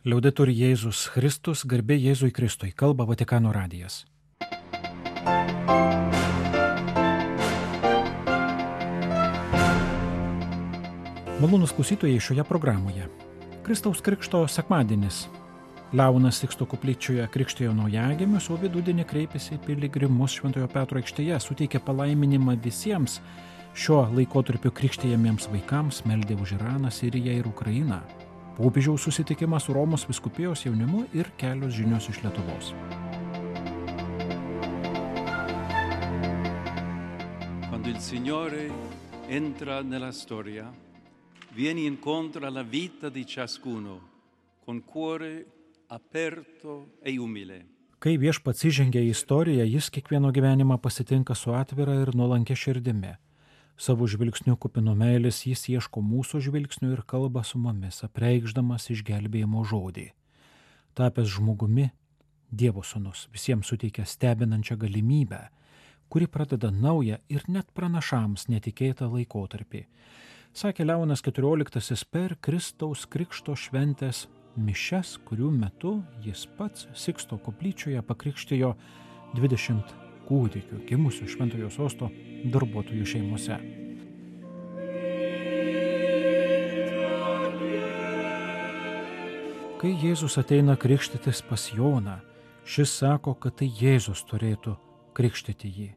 Liaudetur Jėzus Kristus, garbė Jėzui Kristui, kalba Vatikano radijas. Malonūs klausytojai šioje programoje. Kristaus Krikšto sekmadienis. Leonas Siksto koplyčioje krikštijo naujagimius, o vidudienį kreipėsi į piligrimus Šventojo Petro aikštėje, suteikė palaiminimą visiems šio laikotarpio krikštijamiems vaikams, meldė už Iraną, Siriją ir Ukrainą. Popiežiaus susitikimas su Romos vyskupijos jaunimu ir kelios žinios iš Lietuvos. Quando il Signore entra nella storia, viene incontro alla vita di ciascuno con cuore aperto e umile. Kai Viešpats įžengia į istoriją, jis kiekvieno gyvenimą pasitinka su atvira ir nuolankia širdimi. Savo žvilgsnių kupinu meilės jis ieško mūsų žvilgsnių ir kalba su mumis, apreikšdamas išgelbėjimo žodį. Tapęs žmogumi, Dievo sūnus visiems suteikia stebinančią galimybę, kuri pradeda naują ir net pranašams netikėtą laikotarpį. Sakė Leonas XIV per Kristaus Krikšto šventės mišias, kurių metu jis pats Siksto koplyčioje pakrikštijo 20 kūdikių gimusių Šventojo Sosto darbuotojų šeimose. Kai Jėzus ateina krikštytis pas Joną, šis sako, kad tai Jėzus turėtų krikštyti jį.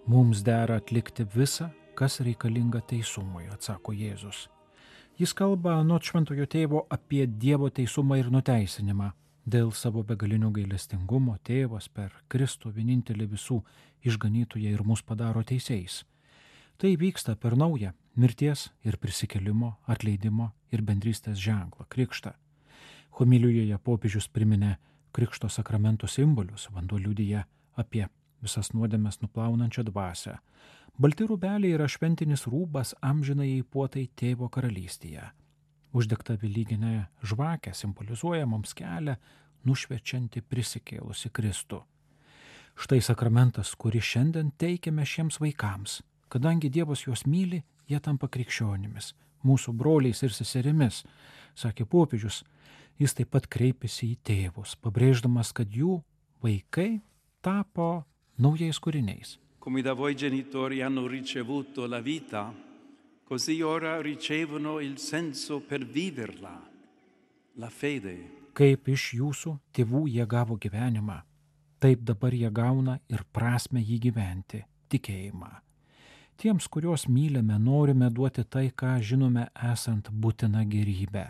Mums dera atlikti visą, kas reikalinga teisumui, atsako Jėzus. Jis kalba anot Šventojo Tėvo apie Dievo teisumą ir nuteisinimą. Dėl savo begalinio gailestingumo Tėvas per Kristų vienintelį visų išganytoją ir mus padaro teisėjais. Tai vyksta per naują mirties ir prisikėlimo, atleidimo ir bendrystės ženklą - krikštą. Homilijoje popiežius priminė krikšto sakramento simbolius, vanduo liudija apie visas nuodėmes nuplaunančią dvasią. Balti rūbeliai yra šventinis rūbas amžinajai puotai Tėvo karalystėje. Uždegta velyginė žvakė simbolizuoja mums kelią, nušviečianti prisikėlusi Kristų. Štai sakramentas, kurį šiandien teikiame šiems vaikams. Kadangi Dievas juos myli, jie tampa krikščionimis, mūsų broliais ir seserimis, sakė popiežius. Jis taip pat kreipėsi į tėvus, pabrėždamas, kad jų vaikai tapo naujais kūriniais. Come da voi genitori hanno ricevuto la vita, così ora ricevono il senso per viverla, la fede. Kaip iš jūsų tėvų jie gavo gyvenimą, taip dabar jie gauna ir prasmę jį gyventi, tikėjimą. Tiems, kuriuos mylime, norime duoti tai, ką žinome esant būtina gerybė.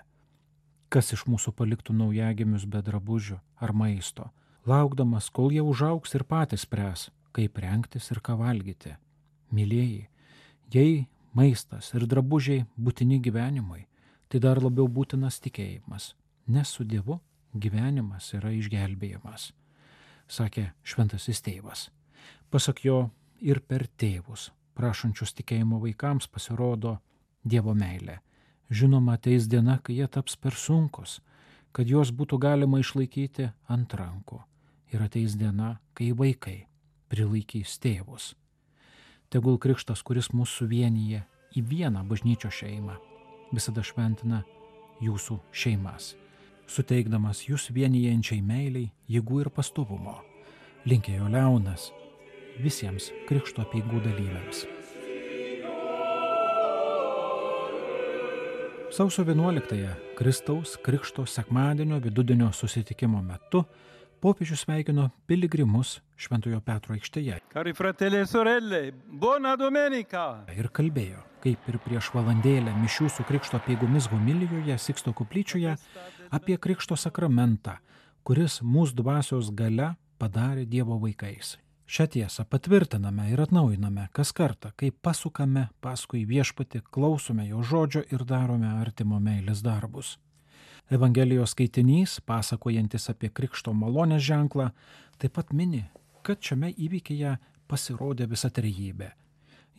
Kas iš mūsų paliktų naujagimius be drabužių ar maisto, laukdamas, kol jie užaugs ir patys spręs, kaip rengtis ir ką valgyti. Mylėjai, jei maistas ir drabužiai būtini gyvenimui, tai dar labiau būtinas tikėjimas, nes su Dievu gyvenimas yra išgelbėjimas, sakė Šventasis Tėvas. Pasak jo, ir per tėvus, prašančius tikėjimo vaikams, pasirodo Dievo meilė. Žinoma, ateis diena, kai jie taps per sunkus, kad juos būtų galima išlaikyti ant rankų. Ir ateis diena, kai vaikai prilaikys tėvus. Tegul krikštas, kuris mus suvienyje į vieną bažnyčios šeimą, visada šventina jūsų šeimas, suteikdamas jūs vienijančiai meiliai, jėgų ir pastovumo. Linkėjo Leonas visiems krikšto apeigų dalyviams. Sausio 11-ąją Kristaus Krikšto sekmadienio vidudienio susitikimo metu popiežius sveikino piligrimus Šventojo Petro aikštėje. Cari fratelli e sorelle, buona domenica! Ir kalbėjo, kaip ir prieš valandėlę mišių su krikšto apeigomis homilijoje Siksto koplyčioje, apie krikšto sakramentą, kuris mūsų dvasios galia padarė Dievo vaikais. Šią tiesą patvirtiname ir atnaujiname kas kartą, kai pasukame paskui Viešpatį, klausome jo žodžio ir darome artimo meilės darbus. Evangelijos skaitinys, pasakojantis apie krikšto malonės ženklą, taip pat mini, kad šiame įvykyje pasirodė visa trejybė.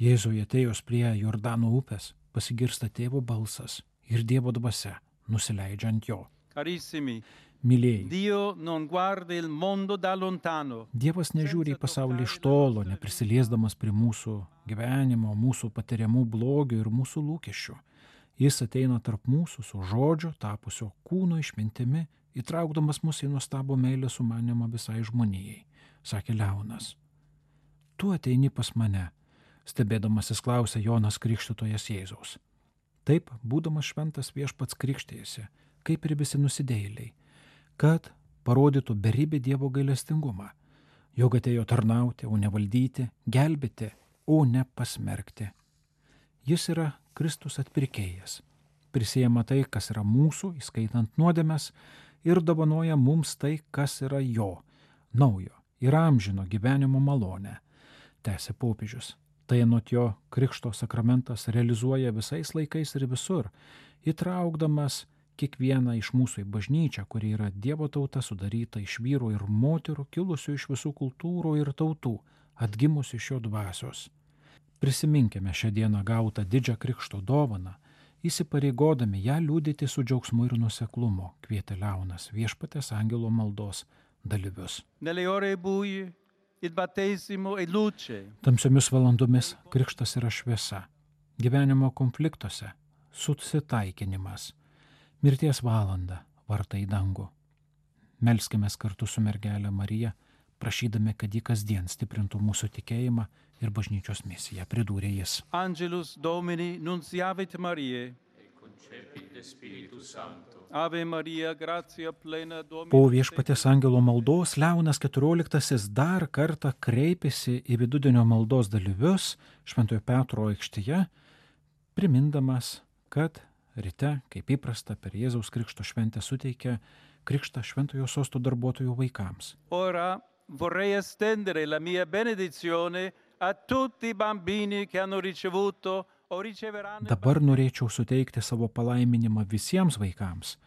Jėzui atėjus prie Jordano upės pasigirsta Tėvo balsas ir Dievo dvasia nusileidžia ant jo. Carissimi, Mylėjai, Dio non guarda il mondo da lontano. Dievas nežiūri į pasaulį iš tolo, neprisiliesdamas prie mūsų gyvenimo, mūsų patiriamų blogių ir mūsų lūkesčių. Jis ateina tarp mūsų su žodžiu, tapusio kūno išmintimi, įtraukdamas mus į nuostabų meilės sumanimą visai žmonijai, sakė Leonas. Tu ateini pas mane, stebėdamasis klausė Jonas Krikštytojas Jėzaus. Taip, būdamas šventas viešpats krikštėjosi, kaip ir visi nusidėjėliai, kad parodytų beribį Dievo gailestingumą, jog atėjo tarnauti, o ne valdyti, gelbėti, o ne pasmerkti. Jis yra Kristus atpirkėjas, prisiema tai, kas yra mūsų, įskaitant nuodėmes, ir dovanoja mums tai, kas yra jo, naujo ir amžino gyvenimo malonę, tęsė popiežius. Tai anot jo krikšto sakramentas realizuoja visais laikais ir visur, įtraukdamas kiekvieną iš mūsų į bažnyčią, kuri yra Dievo tauta sudaryta iš vyrų ir moterų, kilusių iš visų kultūrų ir tautų, atgimusių iš jo dvasios. Prisiminkime šią dieną gautą didžią krikšto dovaną, įsipareigodami ją liudyti su džiaugsmu ir nuoseklumu, kvietė Leonas Viešpaties angelo maldos dalyvius. Tamsiomis valandomis krikštas yra šviesa, gyvenimo konfliktuose susitaikinimas, mirties valanda vartai į dangų. Melskimės kartu su mergelė Marija, prašydami, kad ji kasdien stiprintų mūsų tikėjimą ir bažnyčios misiją, pridūrė jis. Angelus Domini nunciavit Mariae, Ave Maria, gratia plena Dominus. Po Viešpaties angelo maldos Leonas XIV dar kartą kreipėsi į vidudienio maldos dalyvius Šventojo Petro aikštėje, primindamas, kad ryte, kaip įprasta, per Jėzaus Krikšto šventę suteikia krikštą Šventojo sosto darbuotojų vaikams. Ora vorrei estendere la mia benedizione a tutti i bambini che hanno ricevuto o riceveranno. Dabar norėčiau suteikti savo palaiminimą visiems vaikams,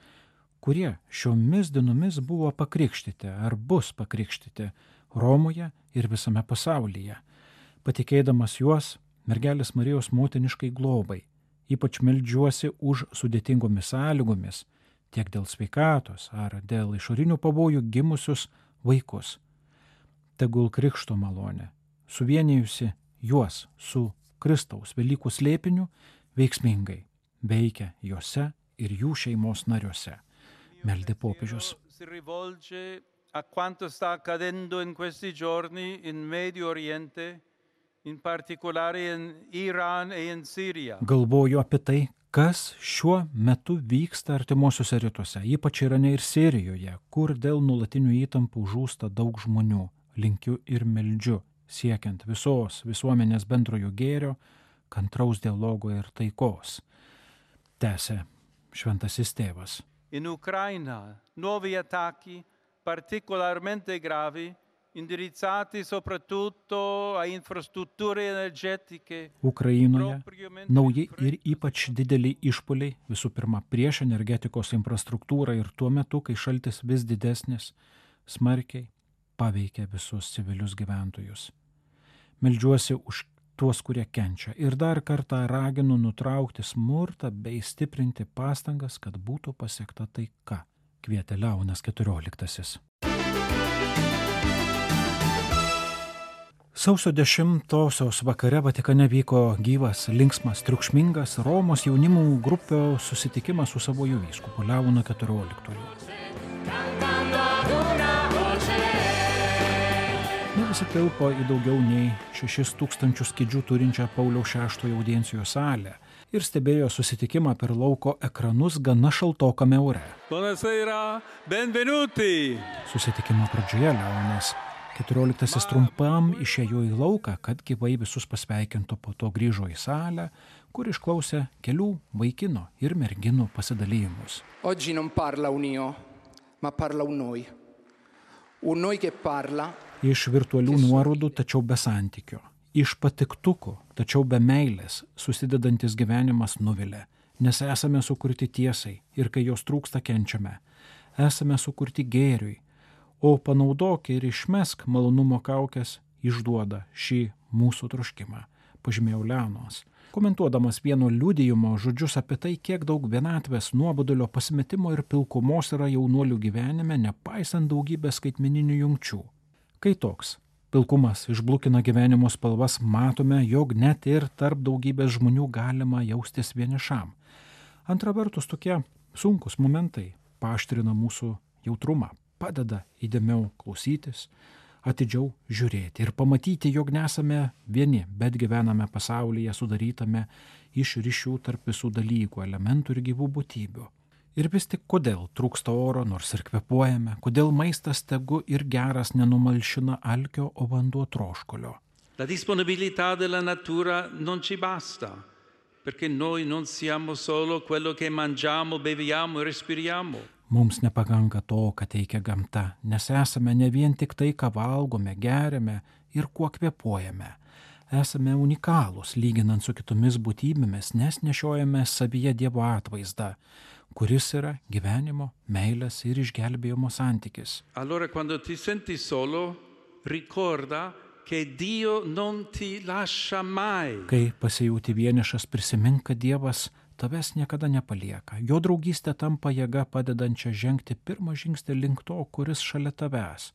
kurie šiomis dienomis buvo pakrikštyti ar bus pakrikštyti Romoje ir visame pasaulyje, patikėdamas juos mergelės Marijos motiniškai globai. Ypač meldžiuosi už sudėtingomis sąlygomis, tiek dėl sveikatos ar dėl išorinių pavojų gimusius vaikus. Tegul krikšto malonė, suvienijusi juos su Kristaus Velykų slėpiniu, veiksmingai veikia juose ir jų šeimos nariuose, meldė popiežius. Si rivolge a quanto sta accadendo in questi giorni in Medio Oriente, in particolare in Iran e in Siria. Galvoju apie tai, kas šiuo metu vyksta artimuosiuose rytuose, ypač Irane ir Sirijoje, kur dėl nuolatinių įtampų žūsta daug žmonių. Linkiu ir meldžiu, siekiant visos visuomenės bendrojo gėrio, kantraus dialogo ir taikos, tęsė šventasis tėvas. In Ucraina nuovi attacchi particolarmente gravi, indirizzati soprattutto a infrastrutture energetiche. Ukrainoje nauji ir ypač dideliai išpuoliai, visų pirma prieš energetikos infrastruktūrą ir tuo metu, kai šaltis vis didesnis, smarkiai paveikia visus civilius gyventojus. Meldžiuosi už tuos, kurie kenčia, ir dar kartą raginu nutraukti smurtą bei stiprinti pastangas, kad būtų pasiekta taika, kvietė Leonas XIV. Sausio 10-osios vakare Vatikane vyko gyvas, linksmas, triukšmingas Romos jaunimų grupio susitikimas su savoju vyskupu Leonu XIV. Ne visi tilpo į daugiau nei 6000 kėdžių turinčią Pauliaus VI audiencijos salę ir stebėjo susitikimą per lauko ekranus gana šaltokame ore. Buonasera, benvenuti! Susitikimo pradžioje Leonas XIV trumpam išėjo į lauką, kad gyvai visus pasveikintų, po to grįžo į salę, kur išklausė kelių vaikino ir merginų pasidalijimus. Oggi non parla un io, ma parla un noi. Un noi che parla. Iš virtualių nuorodų, tačiau be santykio. Iš patiktukų, tačiau be meilės susidedantis gyvenimas nuvilia, nes esame sukurti tiesai ir kai jos trūksta, kenčiame. Esame sukurti gėriui, o panaudok ir išmesk malonumo kaukes išduoda šį mūsų troškimą, pažymėjo Leonas, komentuodamas vieno liudijimo žodžius apie tai, kiek daug vienatvės, nuobodulio, pasimetimo ir pilkumos yra jaunuolių gyvenime, nepaisant daugybės skaitmeninių jungčių. Kai toks pilkumas išblukina gyvenimo spalvas, matome, jog net ir tarp daugybės žmonių galima jaustis vienišam. Antra vertus, tokie sunkus momentai paaštrina mūsų jautrumą, padeda įdėmiau klausytis, atidžiau žiūrėti ir pamatyti, jog nesame vieni, bet gyvename pasaulyje sudarytame iš ryšių tarp visų dalykų, elementų ir gyvų būtybių. Ir vis tik kodėl trūksta oro, nors ir kvėpuojame, kodėl maistas tegu ir geras nenumalšina alkio, o vanduo troškulio. La disponibilità della natura non ci basta, perché noi non siamo solo quello che mangiamo, beviamo e respiriamo. Mums nepakanka to, ką teikia gamta, nes esame ne vien tik tai, ką valgome, geriame ir kuo kvėpuojame. Esame unikalūs, lyginant su kitomis būtybėmis, nes nešiojame savyje Dievo atvaizdą, kuris yra gyvenimo, meilės ir išgelbėjimo santykis. Allora quando ti senti solo, ricorda che Dio non ti lascia mai. Kai pasijauti vienišas, prisimink, kad Dievas tavęs niekada nepalieka. Jo draugystė tampa jėga padedančia žengti pirmą žingsnį link to, kuris šalia tavęs.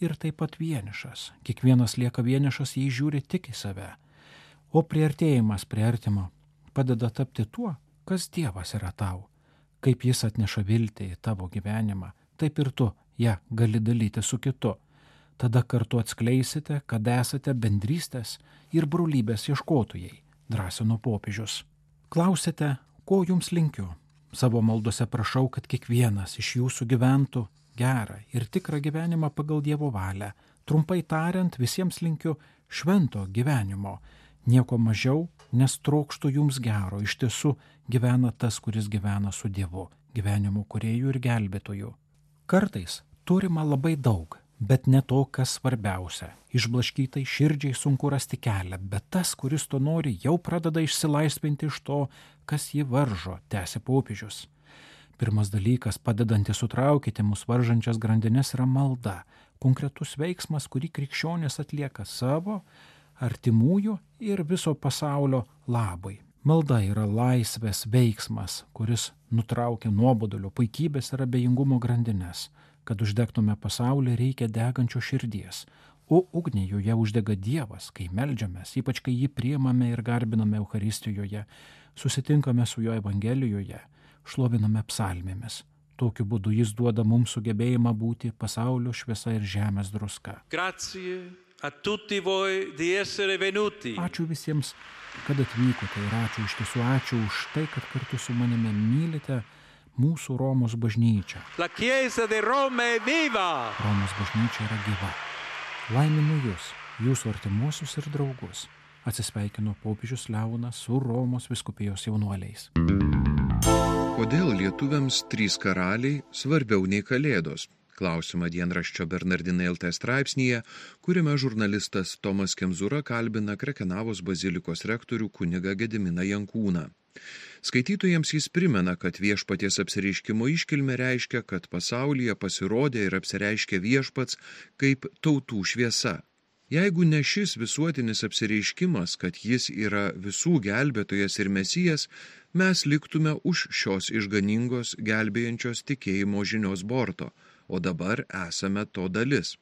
Ir taip pat vienišas. Kiekvienas lieka vienišas, jei žiūri tik į save. O priartėjimas prie artimo padeda tapti tuo, kas Dievas yra tau. Kaip jis atneša viltį į tavo gyvenimą, taip ir tu ją gali dalyti su kitu. Tada kartu atskleisite, kad esate bendrystės ir brolybės ieškotojai, drąsino popiežius. Klausite, ko jums linkiu? Savo maldose prašau, kad kiekvienas iš jūsų gyventų gerą ir tikrą gyvenimą pagal Dievo valią. Trumpai tariant, visiems linkiu švento gyvenimo. Nieko mažiau, nes trokštų jums gero. Iš tiesų gyvena tas, kuris gyvena su Dievu, gyvenimu kūrėju ir gelbėtoju. Kartais turima labai daug, bet ne to, kas svarbiausia. Išblaškytai širdžiai sunku rasti kelią, bet tas, kuris to nori, jau pradeda išsilaisvinti iš to, kas jį varžo, tęsė popiežius. Pirmas dalykas, padedantis sutraukyti mus varžančias grandines, yra malda, konkretus veiksmas, kurį krikščionis atlieka savo, artimųjų ir viso pasaulio labui. Malda yra laisvės veiksmas, kuris nutraukia nuobodulio, puikybės ir abejingumo grandines. Kad uždegtume pasaulį, reikia degančio širdies, o ugnį joje uždega Dievas, kai meldžiamės, ypač kai jį priimame ir garbiname Eucharistijoje, susitinkame su jo Evangelijoje, šloviname psalmėmis. Tokiu būdu jis duoda mums sugebėjimą būti pasaulio šviesa ir žemės druska. Grazie a tutti voi di essere venuti. Ačiū visiems, kad atvykote ir ačiū už tai, kad kartu su manimi mylite mūsų Romos bažnyčia. La Chiesa di Roma è viva! Romos bažnyčia yra gyva. Laiminu jūs, jūsų artimuosius ir draugus. Atsisveikino popiežius Leonas su Romos vyskupijos jaunuoliais. Kodėl lietuviams 3 karaliai svarbiau nei Kalėdos? Klausimą dienraščio Bernardinai LT straipsnyje, kuriame žurnalistas Tomas Kemzūra kalbina Krekenavos bazilikos rektorių kunigą Gediminą Jankūną. Skaitytojams jis primena, kad viešpaties apsireiškimo iškilmė reiškia, kad pasaulyje pasirodė ir apsireiškė viešpats kaip tautų šviesa. Jeigu ne šis visuotinis apsireiškimas, kad jis yra visų gelbėtojas ir mesijas, mes liktume už šios išganingos gelbėjančios tikėjimo žinios borto, o dabar esame to dalis.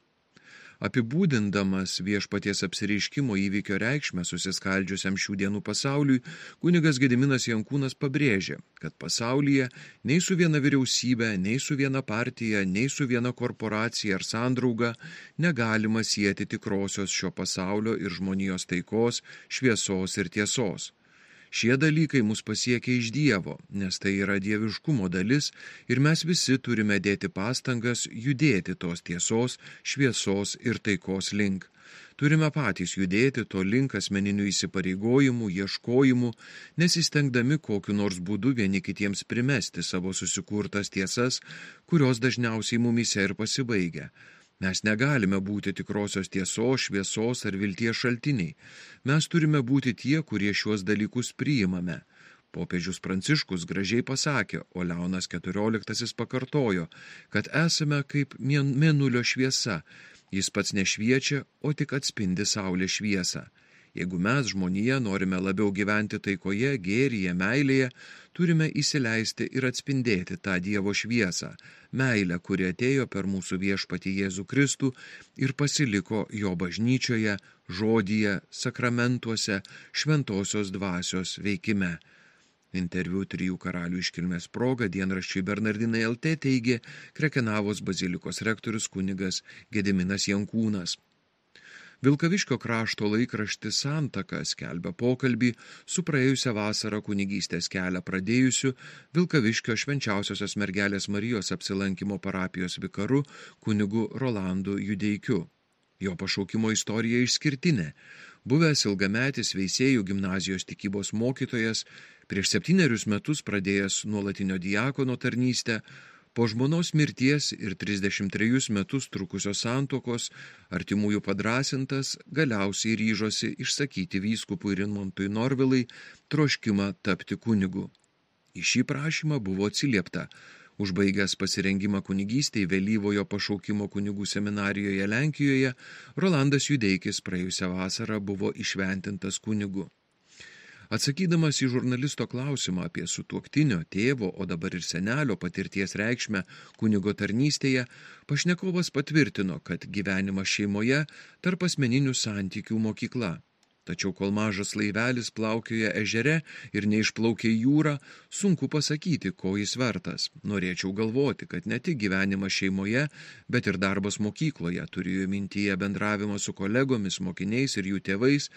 Apibūdindamas viešpaties apsireiškimo įvykio reikšmę susiskaldžiusiam šių dienų pasauliui, kunigas Gediminas Jankūnas pabrėžė, kad pasaulyje nei su viena vyriausybė, nei su viena partija, nei su viena korporacija ar sandrauga negalima sieti tikrosios šio pasaulio ir žmonijos taikos, šviesos ir tiesos. Šie dalykai mus pasiekia iš Dievo, nes tai yra dieviškumo dalis ir mes visi turime dėti pastangas judėti tos tiesos, šviesos ir taikos link. Turime patys judėti to link asmeninių įsipareigojimų, ieškojimų, nesistengdami kokiu nors būdu vieni kitiems primesti savo susikurtas tiesas, kurios dažniausiai mumyse ir pasibaigia. Mes negalime būti tikrosios tiesos, šviesos ar vilties šaltiniai. Mes turime būti tie, kurie šiuos dalykus priimame. Popiežius Pranciškus gražiai pasakė, o Leonas XIV pakartojo, kad esame kaip mėnulio šviesa. Jis pats nešviečia, o tik atspindi saulės šviesą. Jeigu mes, žmonija, norime labiau gyventi taikoje, gėryje, meilėje, turime įsileisti ir atspindėti tą Dievo šviesą, meilę, kuri atėjo per mūsų viešpatį Jėzų Kristų ir pasiliko jo bažnyčioje, žodyje, sakramentuose, šventosios dvasios veikime. Interviu 3 karalių iškilmės proga dienraščiui Bernardinai LT teigė Krekenavos bazilikos rektorius kunigas Gediminas Jankūnas. Vilkaviškio krašto laikraštis Santaka skelbia pokalbį su praėjusią vasarą kunigystės kelią pradėjusiu Vilkaviškio Švenčiausiosios mergelės Marijos apsilankimo parapijos vikaru kunigu Rolandu Judeikiu. Jo pašaukimo istorija išskirtinė. Buvęs ilgametis Veisiejų gimnazijos tikybos mokytojas, prieš 7 metus pradėjęs nuolatinio diakono tarnystę, po žmonos mirties ir 33 metus trukusios santuokos, artimųjų padrąsintas, galiausiai ryžosi išsakyti vyskupui Rimantui Norvilai troškimą tapti kunigu. Į šį prašymą buvo atsiliepta. Užbaigęs pasirengimą kunigystei vėlyvojo pašaukimo kunigų seminarijoje Lenkijoje, Rolandas Judeikis praėjusią vasarą buvo įšventintas kunigu. Atsakydamas į žurnalisto klausimą apie sutuoktinio, tėvo, o dabar ir senelio patirties reikšmę kunigo tarnystėje, pašnekovas patvirtino, kad gyvenimas šeimoje tarp asmeninių santykių mokykla. Tačiau kol mažas laivelis plaukioja ežere ir neišplaukia į jūrą, sunku pasakyti, ko jis vertas. Norėčiau galvoti, kad ne tik gyvenimas šeimoje, bet ir darbas mokykloje, turėjo mintyje bendravimą su kolegomis, mokiniais ir jų tėvais,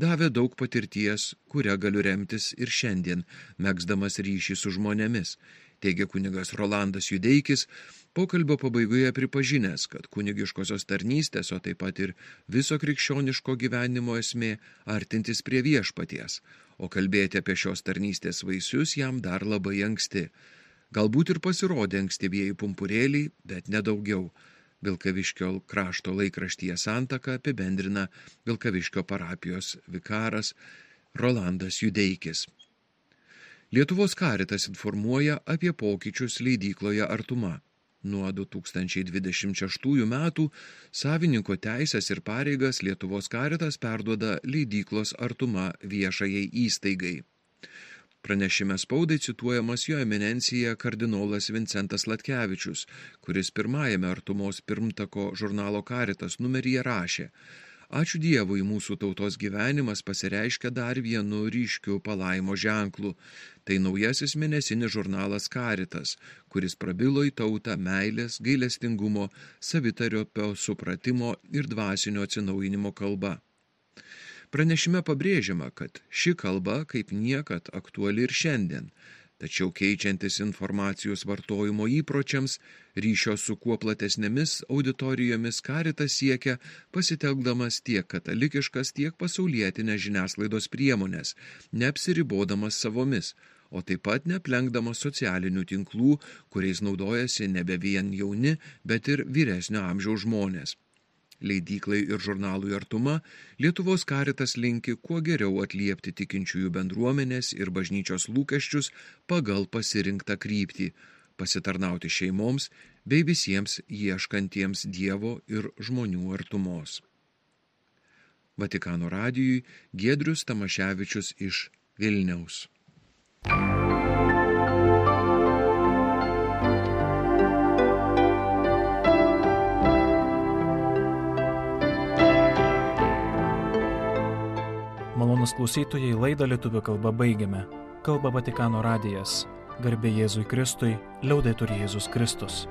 davė daug patirties, kurią galiu remtis ir šiandien, megzdamas ryšį su žmonėmis, teigia kunigas Rolandas Judeikis, pokalbio pabaigoje pripažinęs, kad kunigiškosios tarnystės, o taip pat ir viso krikščioniško gyvenimo esmė artintis prie viešpaties, o kalbėti apie šios tarnystės vaisius jam dar labai anksti. Galbūt ir pasirodė ankstyvieji pumpurėliai, bet nedaugiau. Vilkaviškio krašto laikraštyje Santaka apibendrina Vilkaviškio parapijos vikaras Rolandas Judeikis. Lietuvos Karitas informuoja apie pokyčius leidykloje Artuma. Nuo 2026 metų savininko teisės ir pareigas Lietuvos Karitas perduoda leidyklos Artuma viešajai įstaigai. Pranešime spaudai cituojamas jo eminencija kardinolas Vincentas Latkevičius, kuris pirmajame Artumos pirmtako žurnalo Karitas numeryje rašė: Ačiū Dievui, mūsų tautos gyvenimas pasireiškia dar vienu ryškiu palaimo ženklu. Tai naujasis mėnesinis žurnalas Karitas, kuris prabilo į tautą meilės, gailestingumo, savitariopio supratimo ir dvasinio atsinaujinimo kalba. Pranešime pabrėžiama, kad ši kalba kaip niekad aktuali ir šiandien. Tačiau keičiantis informacijos vartojimo įpročiams, ryšio su kuo platesnėmis auditorijomis Karitas siekia pasitelkdamas tiek katalikiškas, tiek pasaulietinės žiniasklaidos priemonės, neapsiribodamas savomis, o taip pat neaplenkdamas socialinių tinklų, kuriais naudojasi nebe vien jauni, bet ir vyresnio amžiaus žmonės. Leidyklai ir žurnalui Artuma Lietuvos Karitas linki kuo geriau atliepti tikinčiųjų bendruomenės ir bažnyčios lūkesčius pagal pasirinktą kryptį, pasitarnauti šeimoms bei visiems ieškantiems Dievo ir žmonių artumos. Vatikano radijui Giedrius Tamaševičius iš Vilniaus. Malonūs klausytojai, laidą lietuvių kalba baigiame. Kalba Vatikano radijas. Garbė Jėzui Kristui, liaudetur Jėzus Kristus.